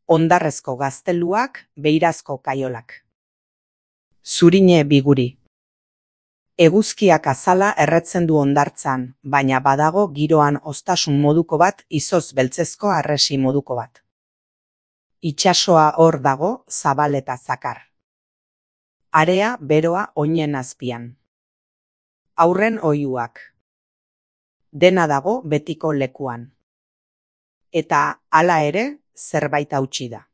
hondarrezko gazteluak, beirazko kaiolak. Zurine biguri. Eguzkiak azala erretzen du hondartzan, baina badago giroan oztasun moduko bat, izoz beltzezko harresi moduko bat. Itsasoa hor dago, zabal eta zakar. Area beroa oinen azpian. Aurren oihuak. Dena dago betiko lekuan. Eta hala ere, zerbait hautsi da.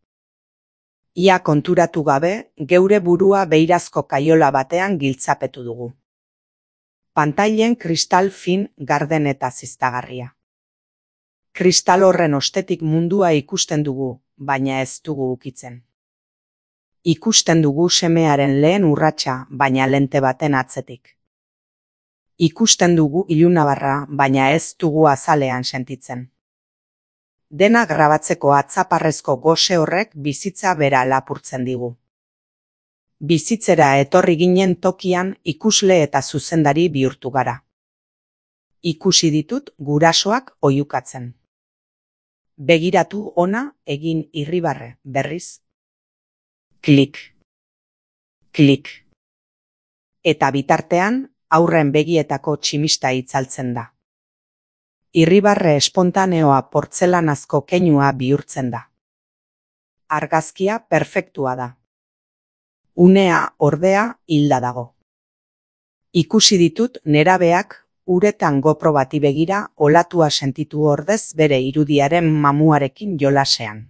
Ia konturatu gabe, geure burua beirazko kaiola batean giltzapetu dugu. Pantailen kristal fin, garden eta ziztagarria. Kristal horren ostetik mundua ikusten dugu, baina ez dugu ukitzen. Ikusten dugu semearen lehen urratsa, baina lente baten atzetik. Ikusten dugu ilunabarra, baina ez dugu azalean sentitzen. Dena grabatzeko atzaparrezko gose horrek bizitza bera lapurtzen digu. Bizitzera etorri ginen tokian ikusle eta zuzendari bihurtu gara. Ikusi ditut gurasoak oihukatzen. Begiratu ona egin irribarre, berriz. Klik. Klik. Eta bitartean, aurren begietako tximista itzaltzen da. Irribarre espontaneoa portzelanazko keinua bihurtzen da. Argazkia perfektua da. Unea, ordea, hilda dago. Ikusi ditut nerabeak uretan gopro bati begira olatua sentitu ordez bere irudiaren mamuarekin jolasean.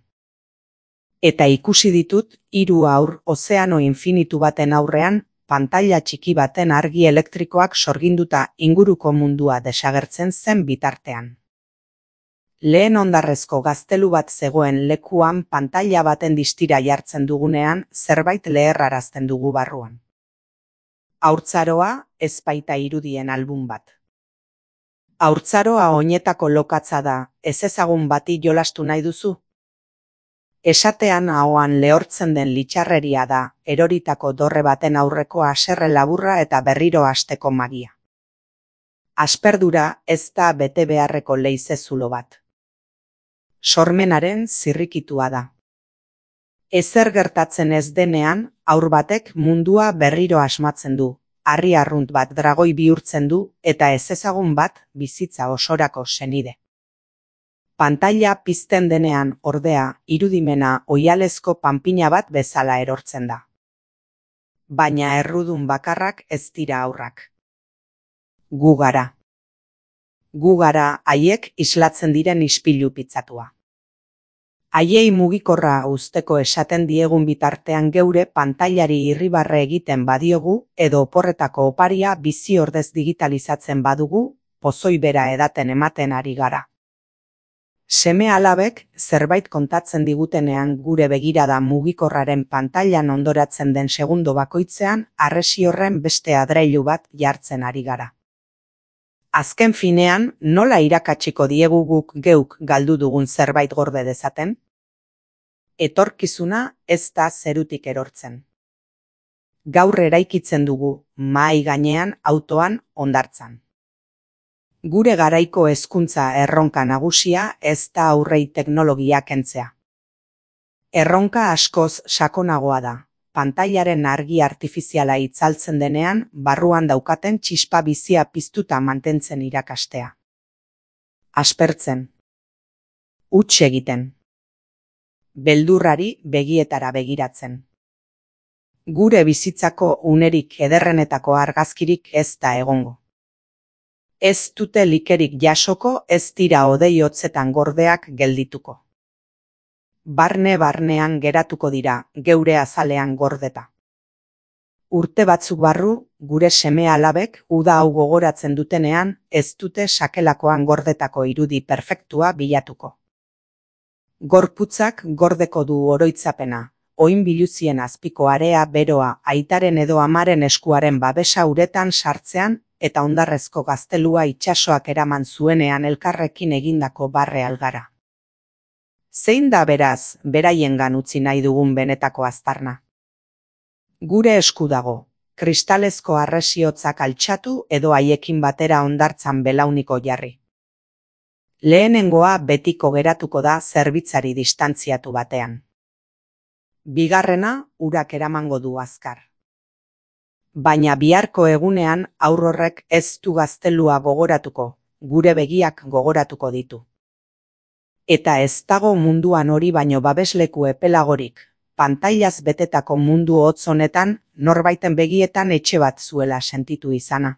Eta ikusi ditut 3 haur ozeano infinitu baten aurrean pantaila txiki baten argi elektrikoak sorginduta inguruko mundua desagertzen zen bitartean. Lehen hondarrezko gaztelu bat zegoen lekuan pantaila baten distira jartzen dugunean zerbait leherrarazten dugu barruan. Haurtzaroa ez baita irudien album bat. Haurtzaroa oinetako lokatza da, ezezagun bati jolastu nahi duzu? Esatean ahoan lehortzen den litxarreria da, eroritako dorre baten aurreko haserre laburra eta berriro hasteko magia. Asperdura ez da bete beharreko leize zulo bat. Sormenaren zirrikitua da. Ezer gertatzen ez denean, haur batek mundua berriro asmatzen du, harri arrunt bat dragoi bihurtzen du eta ezezagun bat bizitza osorako senide. Pantaila pizten denean, ordea, irudimena oihalezko panpina bat bezala erortzen da. Baina errudun bakarrak ez dira haurrak. Gu gara. Gu gara haiek islatzen diren ispilu pitzatua. Haiei mugikorra uzteko esaten diegun bitartean geure pantailari irribarre egiten badiogu edo oporretako oparia bizi ordez digitalizatzen badugu, pozoi bera edaten ematen ari gara. Seme alabek zerbait kontatzen digutenean gure begirada mugikorraren pantailan ondoratzen den segundo bakoitzean harresi horren beste adreilu bat jartzen ari gara. Azken finean, nola irakatsiko diegu guk geuk galdu dugun zerbait gorde dezaten? Etorkizuna ez da zerutik erortzen. Gaur eraikitzen dugu, mahai gainean, autoan, hondartzan. Gure garaiko hezkuntza erronka nagusia ez da aurrei teknologia kentzea. Erronka askoz sakonagoa da. Pantailaren argi artifiziala itzaltzen denean, barruan daukaten txispa bizia piztuta mantentzen irakastea. Aspertzen. Huts egiten. Beldurrari begietara begiratzen. Gure bizitzako unerik ederrenetako argazkirik ez da egongo. Ez dute likerik jasoko, ez dira hodei hotzetan gordeak geldituko. Barne-barnean geratuko dira, geure azalean gordeta. Urte batzuk barru, gure seme alabek uda hau gogoratzen dutenean, ez dute sakelakoan gordetako irudi perfektua bilatuko. Gorputzak gordeko du oroitzapena, oin biluzien azpiko area beroa aitaren edo amaren eskuaren babesa uretan sartzean eta hondarrezko gaztelua itsasoak eraman zuenean elkarrekin egindako barre algara. Zein da beraz, beraiengan utzi nahi dugun benetako aztarna? Gure esku dago, kristalezko harresiotzak altxatu edo haiekin batera hondartzan belauniko jarri. Lehenengoa betiko geratuko da zerbitzari distantziatu batean. Bigarrena urak eramango du azkar. Baina biharko egunean haur horrek ez du gaztelua gogoratuko, gure begiak gogoratuko ditu. Eta ez dago munduan hori baino babesleku epelagorik, pantailaz betetako mundu hotz honetan norbaiten begietan etxe bat zuela sentitu izana.